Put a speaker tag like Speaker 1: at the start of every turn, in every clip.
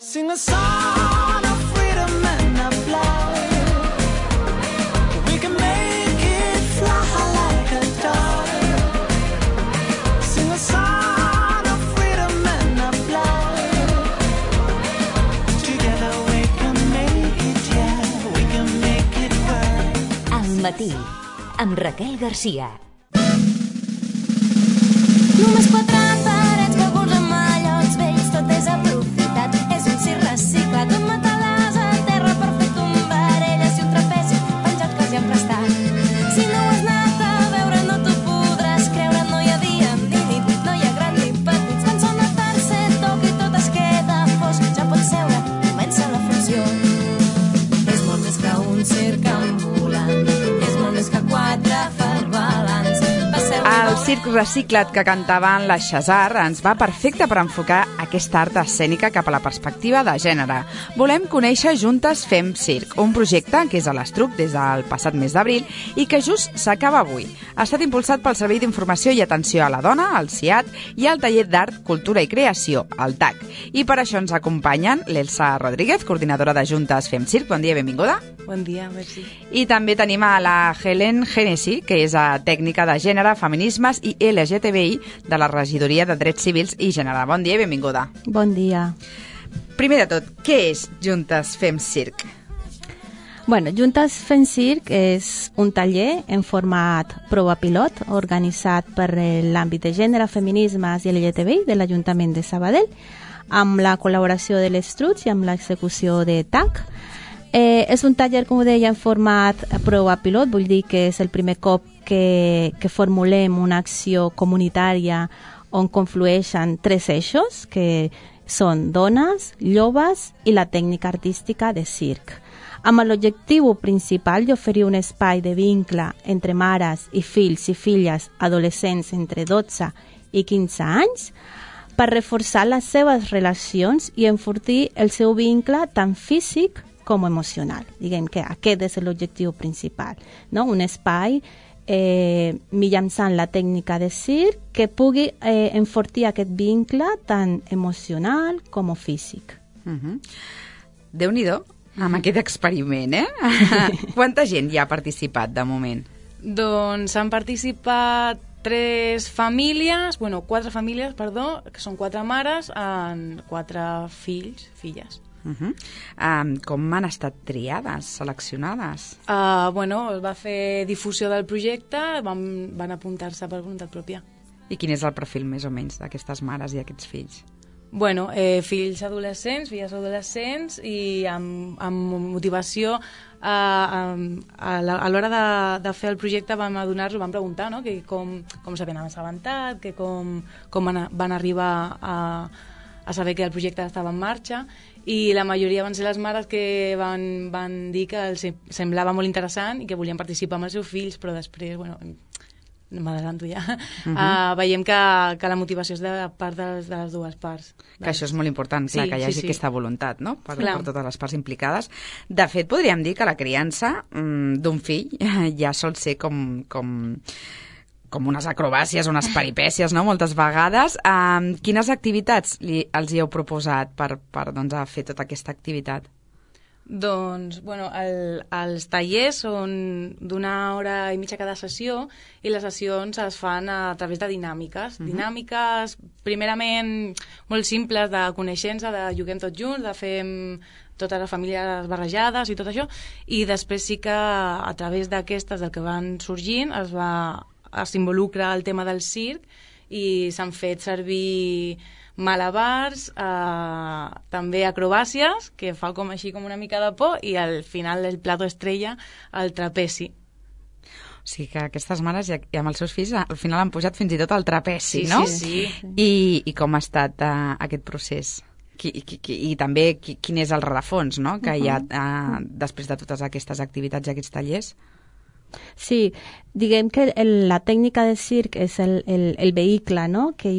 Speaker 1: Sing a song of freedom and of love. We can make it fly like a dove. Sing a song of freedom and of love. Together we can make it, yeah, we can make it work.
Speaker 2: Al matí, amb Raquel Garcia.
Speaker 3: Només 4 parets que burlen mallots vells, tot és aprofitat. És un circ reciclat, un matalàs a terra per fer tombarelles i un trapezi penjat que els hi han prestat. Si no ho has anat a veure no t'ho podràs creure, no hi ha dia ni nit, no hi ha gran ni petits. Quan sona tercer toc i tot es queda fosc, ja pots seure, comença la funció. És molt més que un circ ambulant, és molt més que 4 farbalants.
Speaker 4: El circ reciclat que cantaven la Xasar ens va perfecte per enfocar aquesta art escènica cap a la perspectiva de gènere. Volem conèixer Juntes Fem Circ, un projecte que és a l'Estruc des del passat mes d'abril i que just s'acaba avui. Ha estat impulsat pel Servei d'Informació i Atenció a la Dona, el CIAT, i el Taller d'Art, Cultura i Creació, el TAC. I per això ens acompanyen l'Elsa Rodríguez, coordinadora de Juntes Fem Circ. Bon dia, benvinguda.
Speaker 5: Bon dia, merci.
Speaker 4: I també tenim a la Helen Genesi, que és tècnica de gènere, feminismes i LGTBI de la Regidoria de Drets Civils i Gènere. Bon dia i benvinguda.
Speaker 6: Bon dia.
Speaker 4: Primer de tot, què és Juntes Fem Circ?
Speaker 6: Bueno, Juntes Fem Circ és un taller en format prova pilot organitzat per l'àmbit de gènere, feminismes i LGTBI de l'Ajuntament de Sabadell amb la col·laboració de l'Estruc i amb l'execució de TAC. És un taller, com ho deia, en format prova pilot, vull dir que és el primer cop que formulem una acció comunitària on conflueixen 3 eixos, que són dones, joves i la tècnica artística de circ, amb l'objectiu principal d'oferir un espai de vincle entre mares i fills i filles adolescents entre 12 i 15 anys per reforçar les seves relacions i enfortir el seu vincle tant físic com emocional. Diguem que aquest és l'objectiu principal, no? Un espai mitjançant la tècnica de circ que pugui enfortir aquest vincle tant emocional com físic.
Speaker 4: Déu-n'hi-do, amb aquest experiment, eh? Quanta gent hi ha participat de moment?
Speaker 5: Doncs han participat 4 famílies, que són 4 mares amb 4 fills, filles.
Speaker 4: Com han estat triades, seleccionades?
Speaker 5: Es va fer difusió del projecte, van apuntar-se per voluntat pròpia.
Speaker 4: I quin és el perfil més o menys d'aquestes mares i aquests fills?
Speaker 5: Fills adolescents, filles adolescents i amb motivació a l'hora de fer el projecte vam adonar-nos, vam preguntar, no? Que com s'havien assabentat, que com van arribar a saber que el projecte estava en marxa, i la majoria van ser les mares que van dir que els semblava molt interessant i que volien participar amb els seus fills, però després, m'adelanto ja, veiem que la motivació és de part de les dues parts.
Speaker 4: Que això és molt important, clar, que hi hagi aquesta voluntat, no? Per totes les parts implicades. De fet, podríem dir que la criança d'un fill ja sol ser com unes acrobàcies, unes peripècies, no?, moltes vegades. Quines activitats els hi heu proposat per fer tota aquesta activitat?
Speaker 5: Doncs, els tallers són d'1 hora i mitja cada sessió i les sessions es fan a través de dinàmiques. Dinàmiques, primerament, molt simples, de coneixença, de juguem tots junts, de fem totes les famílies barrejades i tot això, i després sí que a través d'aquestes, del que van sorgint, s'involucra el tema del circ i s'han fet servir malabars, també acrobàcies, que fa així com una mica de por, i al final el plato estrella, el trapezi.
Speaker 4: O sigui que aquestes mares i amb els seus fills al final han pujat fins i tot al trapezi, no?
Speaker 5: Sí.
Speaker 4: I com ha estat aquest procés? I també quin és el rerefons, no?, que hi ha després de totes aquestes activitats i aquests tallers?
Speaker 6: Sí, diguem que la tècnica de circ és el vehicle, no?, que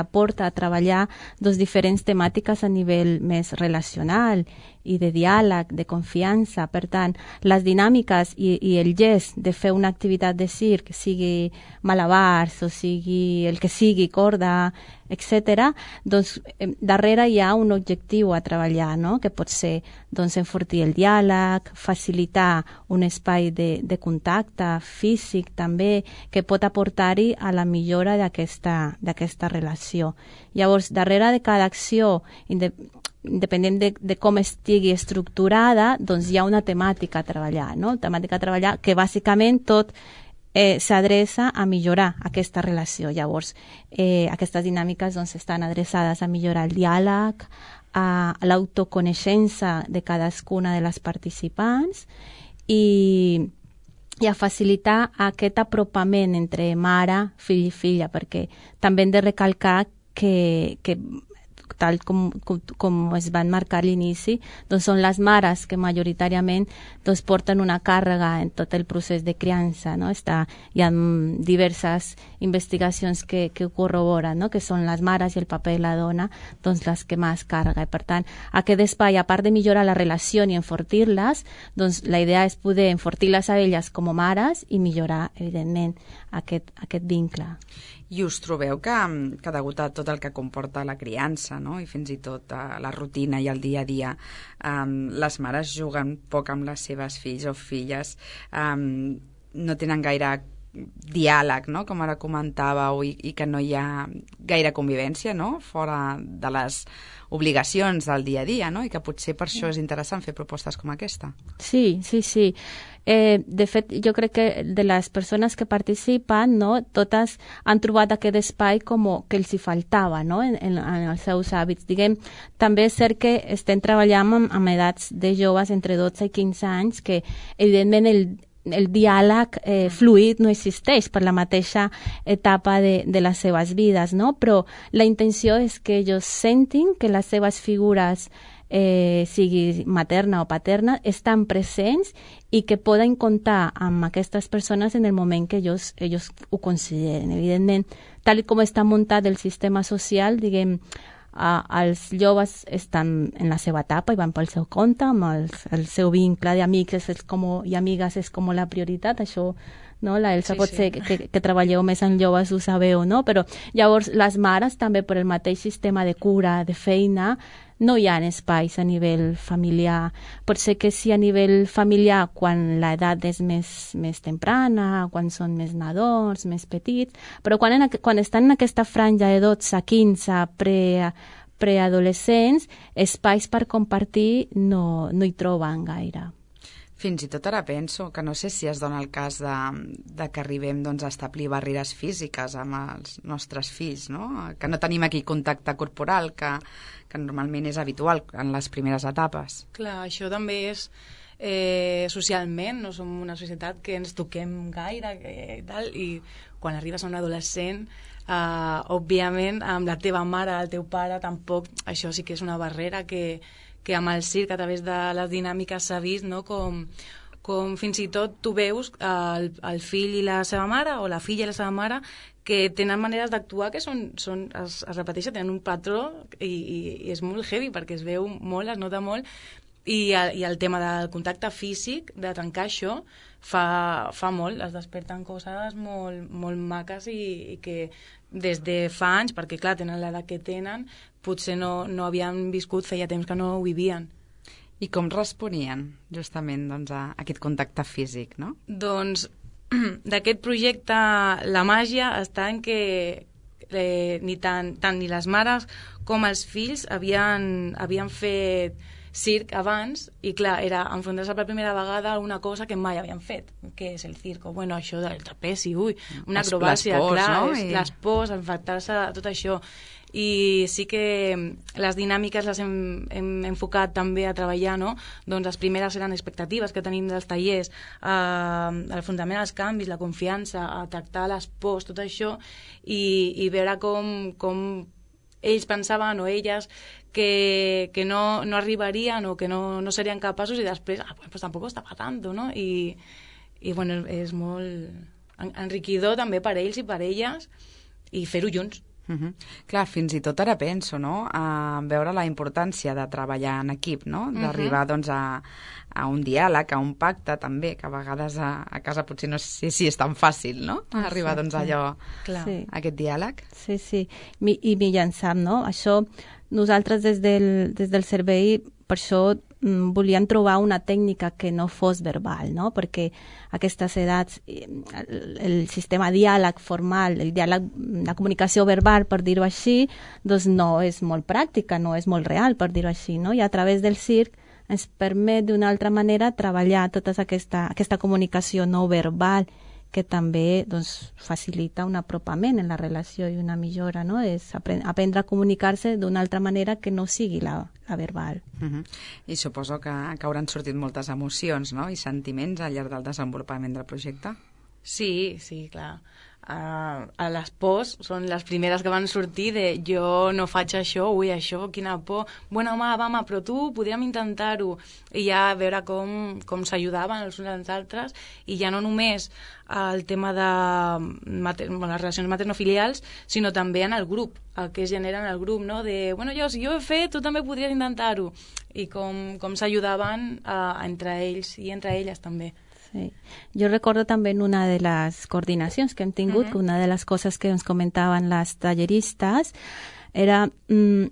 Speaker 6: aporta a treballar diferents temàtiques a nivell més relacional i de diàleg, de confiança. Per tant, les dinàmiques i el gest de fer una activitat de circ, sigui malabars o sigui el que sigui, corda, etc. Doncs darrere hi ha un objectiu a treballar, no? Que pot ser doncs, enfortir el diàleg, facilitar un espai de contacte físic també, que pot aportar-hi a la millora d'aquesta relació. Llavors, darrere de cada acció, independent de com estigui estructurada, doncs hi ha una temàtica a treballar, no? Temàtica a treballar que bàsicament tot s'adreça a millorar aquesta relació. Llavors, aquestes dinàmiques doncs, estan adreçades a millorar el diàleg, a l'autoconeixença de cadascuna de les participants i a facilitar aquest apropament entre mare, fill i filla, perquè també hem de recalcar que tal com es van marcar a l'inici, doncs són les mares que majoritàriament doncs, porten una càrrega en tot el procés de criança. No? Hi ha diverses investigacions que ho corroboren, no? Que són les mares i el paper de la dona doncs, les que més càrrega. I per tant, aquest espai, a part de millorar la relació i enfortir-les, doncs, la idea és poder enfortir-les a elles com a mares i millorar, evidentment, aquest vincle.
Speaker 4: I us trobeu que degut a tot el que comporta la criança, no? I fins i tot la rutina i el dia a dia, les mares juguen poc amb les seves fills o filles, no tenen gaire diàleg, no? Com ara comentàveu, i que no hi ha gaire convivència, no? Fora de les obligacions del dia a dia, no? I que potser per això és interessant fer propostes com aquesta.
Speaker 6: Sí. De fet, jo crec que de les persones que participen, no, totes han trobat aquest espai com que els hi faltava, no, en els seus hàbits. Diguem, també és cert que estem treballant amb edats de joves entre 12 i 15 anys que, evidentment, el diàleg fluid no existeix per la mateixa etapa de les seves vides, no? Però la intenció és que ells sentin que les seves figures, sigui materna o paterna, estan presents i que poden comptar amb aquestes persones en el moment que ells ho consideren. Evidentment, tal com està muntat el sistema social, diguem, els joves estan en la seva etapa i van pel seu compte, amb el seu vincle d'amics i amigues és com la prioritat, això, no? La Elsa pot ser que treballeu més en joves, ho sabeu, no? Però llavors les mares també per el mateix sistema de cura, de feina, no hi ha espais a nivell familiar. Pot ser que sí a nivell familiar quan l'edat és més temprana, quan són més nadons, més petits, però quan estan en aquesta franja de 12 a 15 preadolescents, espais per compartir no hi troben gaire.
Speaker 4: Fins i tot ara penso que no sé si es dona el cas de que arribem doncs, a establir barreres físiques amb els nostres fills, no? Que no tenim aquí contacte corporal, que normalment és habitual en les primeres etapes.
Speaker 5: Clar, això també és socialment, no som una societat que ens toquem gaire i quan arribes a un adolescent, òbviament, amb la teva mare, el teu pare, tampoc, això sí que és una barrera que amb el circ, a través de les dinàmiques s'ha vist, no? Com fins i tot tu veus el fill i la seva mare, o la filla i la seva mare, que tenen maneres d'actuar que es repeteixen, tenen un patró i és molt heavy perquè es veu molt, es nota molt, i el tema del contacte físic, de trencar això, fa molt, es desperten coses molt, molt maques i que des de fa anys, perquè clar, tenen l'edat que tenen, potser no havien viscut, feia temps que no ho vivien.
Speaker 4: I com responien justament doncs, a aquest contacte físic, no?
Speaker 5: Doncs d'aquest projecte la màgia està en que tant ni les mares com els fills havien fet circ abans i clar, era enfrontar-se per primera vegada a una cosa que mai havien fet, que és el circo. Bueno, això del trapezi, una acrobàcia, clar, no? Les pors, enfrontar-se a tot això. I sí que les dinàmiques les hem enfocat també a treballar, no? Doncs les primeres eren expectatives que tenim dels tallers, l'afrontament als canvis, la confiança, a tractar les pors, tot això, i veure com ells pensaven o elles que no arribarien o que no serien capaços i després, pues tampoc està tant, no? I bueno, és molt enriquidor també per ells i per elles i fer-ho junts.
Speaker 4: Clar, fins i tot ara penso, no?, a veure la importància de treballar en equip, no?, d'arribar doncs a un diàleg, a un pacte també, que a vegades a casa potser no sé si és tan fàcil, no?, arribar doncs a allò,
Speaker 6: Sí.
Speaker 4: a aquest diàleg.
Speaker 6: Sí, sí. I mitjançant, no? Això, nosaltres des del servei, per això volíem trobar una tècnica que no fos verbal, no? Perquè a aquestes edats el sistema diàleg formal, el diàleg, la comunicació verbal, per dir-ho així, doncs no és molt pràctica, no és molt real, per dir-ho així, no? I a través del circ ens permet d'una altra manera treballar tota aquesta comunicació no verbal, que també doncs, facilita un apropament en la relació i una millora, no? És aprendre a comunicar-se d'una altra manera que no sigui la verbal.
Speaker 4: I suposo que hauran sortit moltes emocions, no?, i sentiments al llarg del desenvolupament del projecte.
Speaker 5: Sí, clar. A les pors són les primeres que van sortir de jo no faig això, ui, això, quina por. Bueno, home, però tu podríem intentar-ho. I ja veure com s'ajudaven els uns als altres, i ja no només el tema de les relacions maternofilials, sinó també en el grup, el que es genera en el grup, no? De, bueno, si jo ho he fet, tu també podries intentar-ho. I com s'ajudaven entre ells i entre elles també.
Speaker 6: Sí. Jo recordo també en una de les coordinacions que hem tingut, que una de les coses que ens comentaven les talleristes era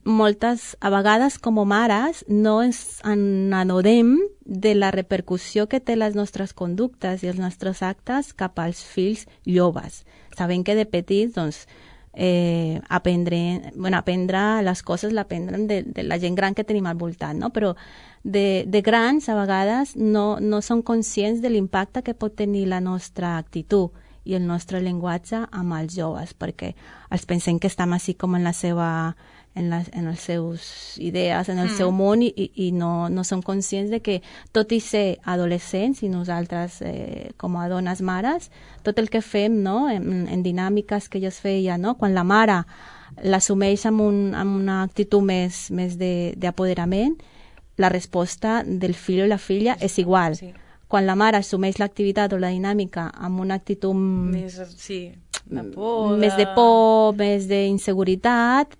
Speaker 6: moltes, a vegades com a mares, no ens n'adonem de la repercussió que té les nostres conductes i els nostres actes cap als fills joves. Sabem que de petits, doncs, aprendre les coses l'aprendrem de la gent gran que tenim al voltant, no? Però de grans a vegades no són conscients de l'impacte que pot tenir la nostra actitud i el nostre llenguatge amb els joves, perquè els pensem que estem així com en les seus idees, en el seu món, i no som conscients de que, tot i ser adolescents, i nosaltres com a dones mares, tot el que fem, no?, en dinàmiques que jo es feia, no?, quan la mare l'assumeix amb una actitud més d'apoderament, la resposta del fill o la filla és igual. Sí. Quan la mare assumeix l'activitat o la dinàmica amb una actitud més de por, més d'inseguretat,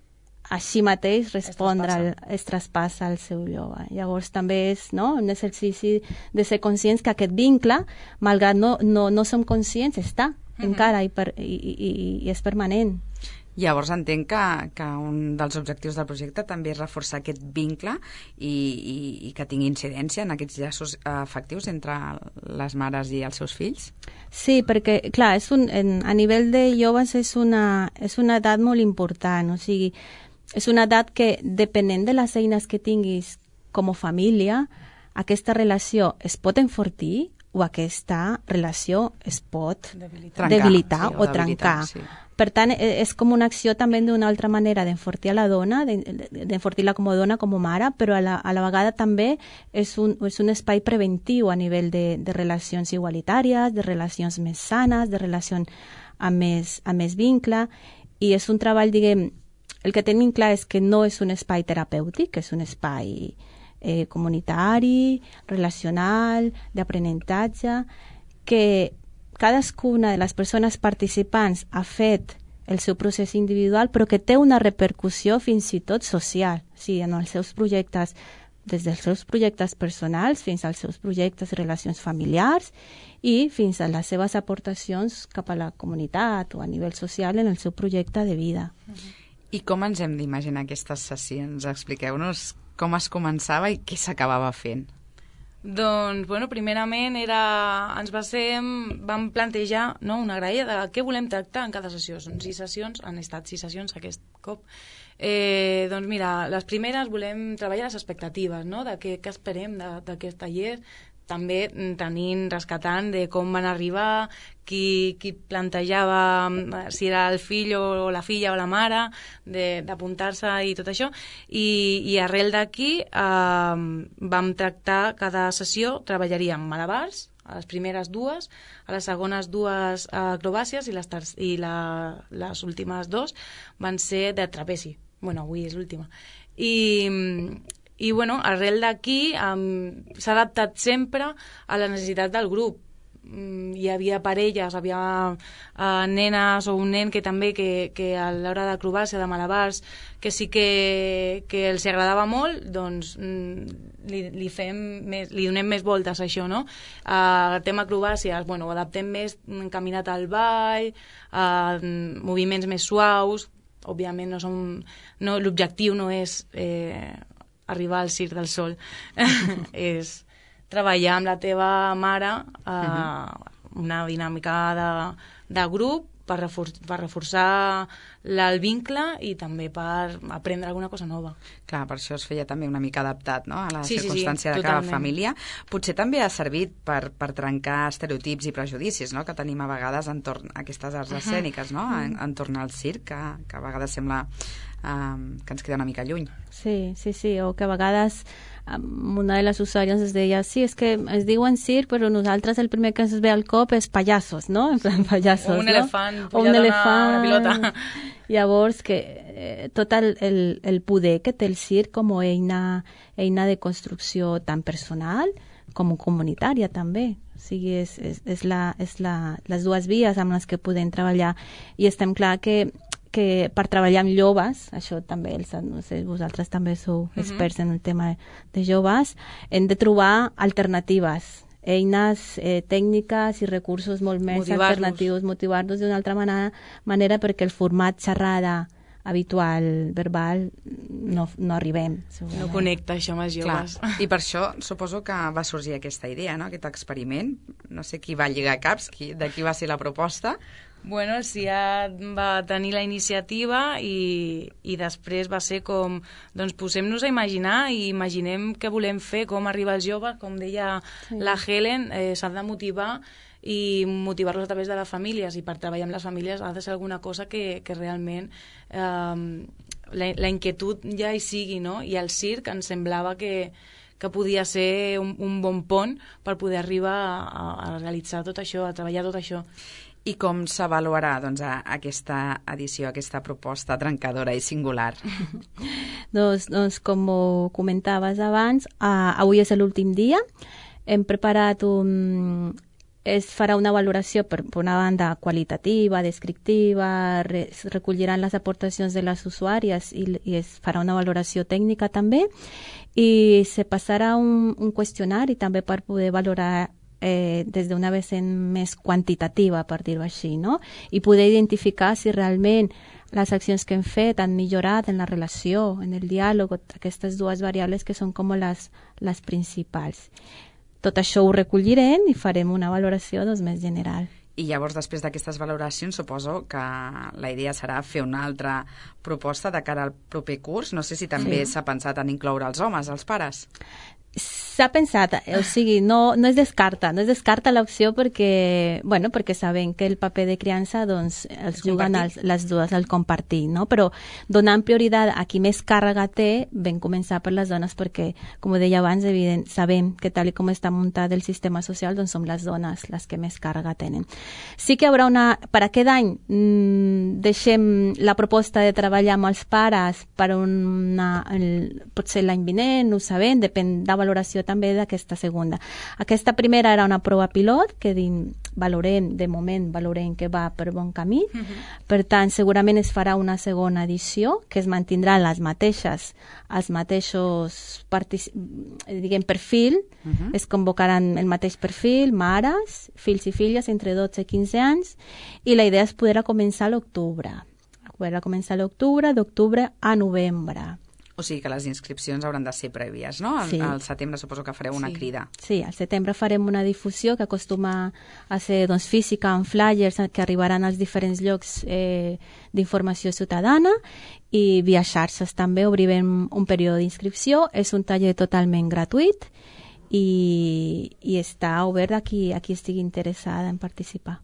Speaker 6: així mateix respondre es traspassa al seu jove. Llavors també és, no?, un exercici de ser conscients que aquest vincle, malgrat no som conscients, està encara i és permanent.
Speaker 4: Llavors entenc que un dels objectius del projecte també és reforçar aquest vincle i que tingui incidència en aquests llaços afectius entre les mares i els seus fills?
Speaker 6: Sí, perquè, clar, a nivell de joves és una edat molt important, o sigui, és una edat que, depenent de les eines que tinguis com a família, aquesta relació es pot enfortir o aquesta relació es pot debilitar o trencar. Sí. Per tant, és com una acció també d'una altra manera d'enfortir a la dona, d'enfortir-la com a dona, com a mare, però a la vegada també és un espai preventiu a nivell de relacions igualitàries, de relacions més sanes, de relacions amb més vincle, i és un treball, diguem, el que tenim clar és que no és un espai terapèutic, és un espai comunitari, relacional, d'aprenentatge, que cadascuna de les persones participants ha fet el seu procés individual, però que té una repercussió fins i tot social. O sigui, en els seus projectes, des dels seus projectes personals fins als seus projectes i relacions familiars i fins a les seves aportacions cap a la comunitat o a nivell social en el seu projecte de vida.
Speaker 4: I com ens hem d'imaginar aquestes sessions? Expliqueu-nos com es començava i què s'acabava fent.
Speaker 5: Doncs, bueno, primerament vam plantejar, no, una graella de què volem tractar en cada sessió. Són 6 sessions, han estat 6 sessions aquest cop. Doncs mira, les primeres volem treballar les expectatives, no?, de què esperem d'aquest taller, també rescatant de com van arribar, qui plantejava si era el fill o la filla o la mare, d'apuntar-se i tot això. I arrel d'aquí vam tractar cada sessió, treballaríem malabars, a les primeres 2, a les segones 2 acrobàcies i les últimes 2 van ser de trapezi. Bueno, avui és l'última. I bueno, arrel d'aquí s'ha adaptat sempre a les necessitats del grup. hi havia parelles, havia nenes o un nen que també que a l'hora d'acrobàcia, de malabars, que sí que els agradava molt, doncs li donem més voltes a això, no? El tema acrobàcies, bueno, ho adaptem més encaminat al ball, moviments més suaus. Òbviament l'objectiu no és arribar al Circ del Sol, és treballar amb la teva mare una dinàmica de grup per reforçar el vincle i també per aprendre alguna cosa nova.
Speaker 4: Clar, per això es feia també una mica adaptat, no?, a la circumstància de
Speaker 5: totalment.
Speaker 4: cada família. Potser també ha servit per trencar estereotips i prejudicis, no?, que tenim a vegades entorn a aquestes arts escèniques, no?, entorn al circ, que a vegades sembla que ens queda una mica lluny.
Speaker 6: Sí, o que a vegades una de les usuàries ens deia, sí, és que es diuen circ, però nosaltres el primer que ens ve al cop és pallassos, no? En plan pallassos,
Speaker 5: o un elefant,
Speaker 6: no? O un elefant,
Speaker 5: una pilota.
Speaker 6: Llavors, que tot el poder que té el circ com a eina de construcció tan personal com comunitària també. O sigui, és les dues vies amb les que podem treballar. I estem clar que per treballar amb joves, això també, no sé, vosaltres també sou experts en el tema de joves, hem de trobar alternatives, eines tècniques i recursos molt més alternatius, motivar-los d'una altra manera perquè el format xerrada habitual, verbal, no arribem.
Speaker 5: No connecta això amb els joves.
Speaker 4: Clar. I per això suposo que va sorgir aquesta idea, no?, aquest experiment. No sé qui va lligar caps, de qui va ser la proposta.
Speaker 5: Bueno, el CIAT va tenir la iniciativa i després va ser com, doncs posem-nos a imaginar i imaginem què volem fer, com arribar als joves, com deia la Helen, s'han de motivar i motivar-los a través de les famílies, i per treballar amb les famílies ha de ser alguna cosa que realment la inquietud ja hi sigui, no? I el circ ens semblava que podia ser un bon pont per poder arribar a realitzar tot això, a treballar tot això.
Speaker 4: I com s'avaluarà aquesta edició, aquesta proposta trencadora i singular?
Speaker 6: Doncs com comentaves abans, avui és l'últim dia. Hem preparat es farà una valoració per una banda qualitativa, descriptiva, es recolliran les aportacions de les usuàries i es farà una valoració tècnica també, i se passarà un qüestionari també per poder valorar des d'una vessant més quantitativa, per dir-ho així, no? I poder identificar si realment les accions que hem fet han millorat en la relació, en el diàleg, aquestes dues variables que són com les principals. Tot això ho recollirem i farem una valoració més general.
Speaker 4: I llavors, després d'aquestes valoracions, suposo que la idea serà fer una altra proposta de cara al proper curs. No sé si també s'ha pensat en incloure els homes, els pares.
Speaker 6: S'ha pensat, o sigui, no es descarta l'opció perquè sabem que el paper de criança doncs, els juguen les dues al compartir, no? Però donant prioritat a qui més càrrega té, vam començar per les dones perquè, com deia abans, evident, sabem que tal com està muntat el sistema social, doncs som les dones les que més càrrega tenen. Sí que hi haurà per aquest any deixem la proposta de treballar amb els pares per potser l'any vinent, no ho sabem, depèn de valoració també d'aquesta segona. Aquesta primera era una prova pilot que valorem que va per bon camí. Per tant, segurament es farà una segona edició que es mantindran els mateixos perfil, es convocaran el mateix perfil, mares, fills i filles entre 12 i 15 anys, i la idea és poder començar a l'octubre. D'octubre a novembre.
Speaker 4: O sigui que les inscripcions hauran de ser prèvies, no?
Speaker 6: Sí.
Speaker 4: Al setembre suposo que fareu una crida.
Speaker 6: Sí, al setembre farem una difusió que acostuma a ser física, amb flyers que arribaran als diferents llocs d'informació ciutadana, i via xarxes també obrirem un període d'inscripció. És un taller totalment gratuït i està obert a qui estigui interessada en participar.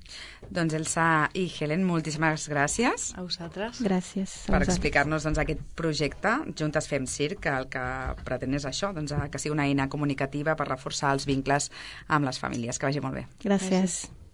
Speaker 4: Doncs Elsa i Helen, moltíssimes gràcies.
Speaker 5: A vosaltres.
Speaker 6: Gràcies.
Speaker 4: Per explicar-nos aquest projecte, Juntes Fem Circ, que el que pretén és això, que sigui una eina comunicativa per reforçar els vincles amb les famílies. Que vagi molt bé.
Speaker 6: Gràcies.